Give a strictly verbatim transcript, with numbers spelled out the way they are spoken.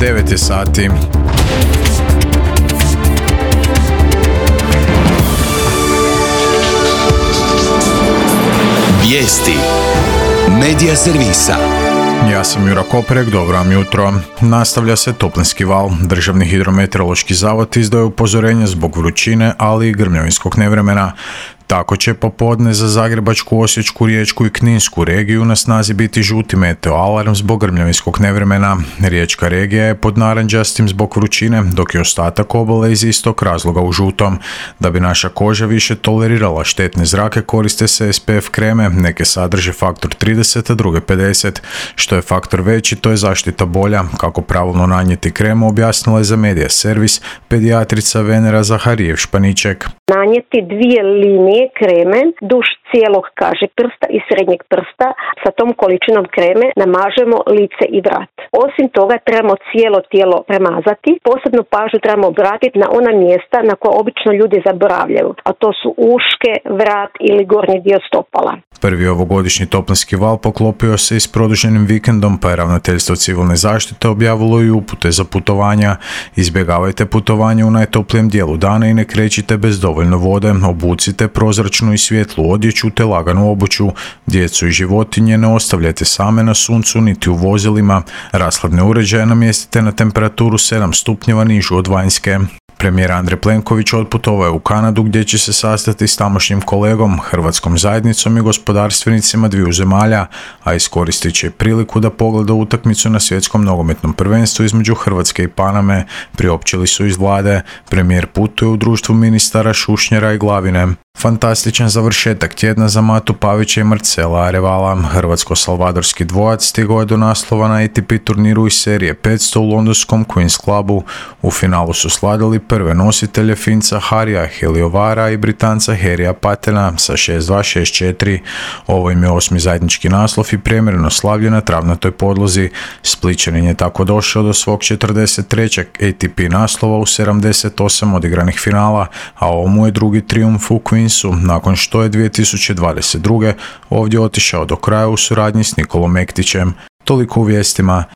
devet je sati. Vijesti Medija servisa. Ja sam Jura Koprek, dobro vam jutro. Nastavlja se toplinski val. Državni hidrometeorološki zavod izdaje upozorenje zbog vrućine, ali i grmljavinskog nevremena. Tako će popodne za Zagrebačku, Osječku, Riječku i Kninsku regiju na snazi biti žuti meteo alarm zbog grmljavinskog nevremena. Riječka regija je pod narančastim zbog vrućine, dok je ostatak obale iz istog razloga u žutom. Da bi naša koža više tolerirala štetne zrake, koriste se S P F kreme, neke sadrže faktor trideset, a druge pedeset. Što je faktor veći, to je zaštita bolja. Kako pravilno nanijeti kremu, objasnila je za Medija servis pedijatrica Venera Zaharijev-Španiček. Nanijeti dvije linije kreme duž cijelog, kaže, prsta i srednjeg prsta. Sa tom količinom kreme namažemo lice i vrat. Osim toga trebamo cijelo tijelo premazati. Posebnu pažnju trebamo obratiti na ona mjesta na koja obično ljudi zaboravljaju, a to su uške, vrat ili gornji dio stopala. Prvi ovogodišnji toplinski val poklopio se i s produženim vikendom, pa je Ravnateljstvo civilne zaštite objavilo i upute za putovanja. Izbjegavajte putovanje u najtoplijem dijelu dana i ne krećite bez dovoljno vode. Obucite prozračnu i svjetlu odjeću te laganu obuću. Djecu i životinje ne ostavljajte same na suncu niti u vozilima. Rashladne uređaje namjestite na temperaturu sedam stupnjeva nižu od vanjske. Premijer Andrej Plenković otputovao je u Kanadu gdje će se sastati s tamošnjim kolegom, hrvatskom zajednicom i gospodarstvenicima dviju zemalja, a iskoristit će priliku da pogleda utakmicu na svjetskom nogometnom prvenstvu između Hrvatske i Paname, priopćili su iz vlade. Premijer putuje u društvu ministara Šušnjera i Glavine. Fantastičan završetak tjedna za Matu Pavića i Marcela Arevala. Hrvatsko-salvadorski dvojac stigao je do naslova na A T P turniru iz serije petsto u londonskom Queen's Clubu. U finalu su slavili prve nositelje Finca Harija Heliovara i Britanca Harrya Patena sa šest dva šest četiri. Ovo im je osmi zajednički naslov i premjerno slavlje na travnatoj podlozi. Splićanin je tako došao do svog četrdeset trećeg A T P naslova u sedamdeset osam odigranih finala, a ovo mu je drugi trijumf u Queensu nakon što je dvije tisuće dvadeset druge ovdje otišao do kraja u suradnji s Nikolom Mektićem. Toliko u vijestima.